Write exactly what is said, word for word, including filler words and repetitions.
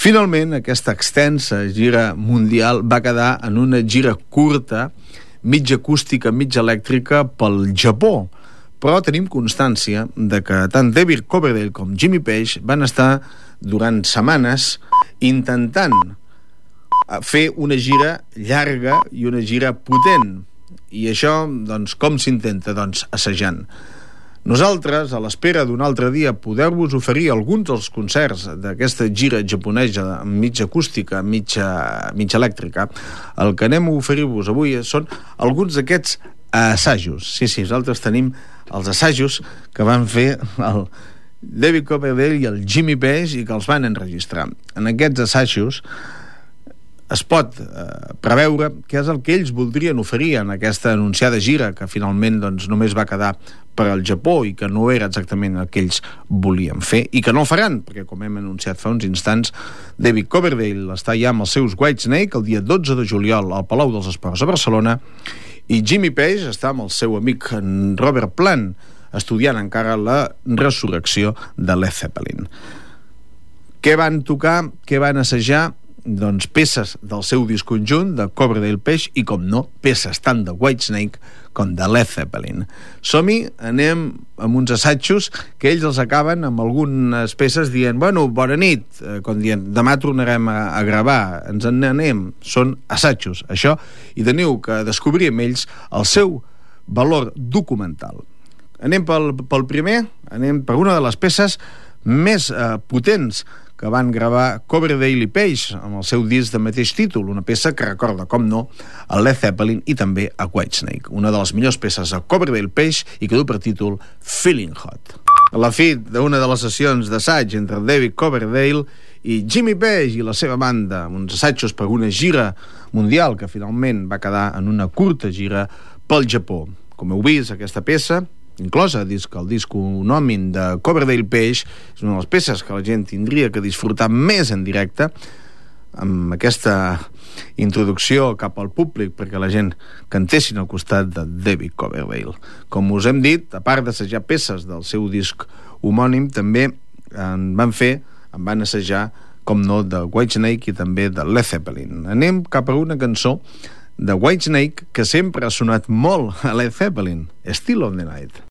Finalment, aquesta extensa gira mundial va quedar en una gira curta, mitja acústica, mitja elèctrica, pel Japó. Però tenim constància de que tant David Coverdale com Jimmy Page van estar durant setmanes intentant fer una gira llarga i una gira potent. I això, doncs, com s'intenta? Doncs assajant. Nosaltres, a l'espera d'un altre dia, poder-vos oferir alguns dels concerts d'aquesta gira japonesa mitja acústica, mitja, mitja elèctrica, el que anem a oferir-vos avui són alguns d'aquests assajos. Sí, sí, nosaltres tenim els assajos que van fer el David Coverdale i el Jimmy Page i que els van enregistrar. En aquests assajos es pot eh, preveure què és el que ells voldrien oferir en aquesta anunciada gira, que finalment doncs, només va quedar per al Japó i que no era exactament el que ells volien fer i que no faran, perquè com hem anunciat fa uns instants, David Coverdale està ja amb els seus Whitesnake el dia dotze de juliol al Palau dels Esports a Barcelona i Jimmy Page està amb el seu amic Robert Plant estudiant encara la resurrecció de Led Zeppelin. Què van tocar? Què van assajar? Doncs peces del seu disc conjunt de Coverdale Page i, com no, peces tant de Whitesnake com de Led Zeppelin. Som-hi, anem amb uns assajos que ells els acaben amb algunes peces dient, bueno, bona nit, eh, com dient, demà tornarem a, a gravar, ens en anem. Són assajos, això, i teniu que descobrir amb ells el seu valor documental. Anem pel, pel primer, anem per una de les peces més eh, potents que van gravar Coverdale i Page amb el seu disc de mateix títol, una peça que recorda, com no, a Led Zeppelin i també a Whitesnake, una de les millors peces de Coverdale Page i que du per títol Feeling Hot. A la fi d'una de les sessions d'assaig entre David Coverdale i Jimmy Page i la seva banda, uns assajos per una gira mundial que finalment va quedar en una curta gira pel Japó. Com heu vist, aquesta peça inclosa disc, el disc homònim de Coverdale Page, és una de les peces que la gent tindria que disfrutar més en directe, amb aquesta introducció cap al públic perquè la gent cantessin al costat de David Coverdale. Com us hem dit, a part d'assajar peces del seu disc homònim, també en van fer, en van assajar, com no, de Whitesnake i també de Led Zeppelin. Anem cap a una cançó de Whitesnake que sempre ha sonat molt a Led Zeppelin, Still on the Night.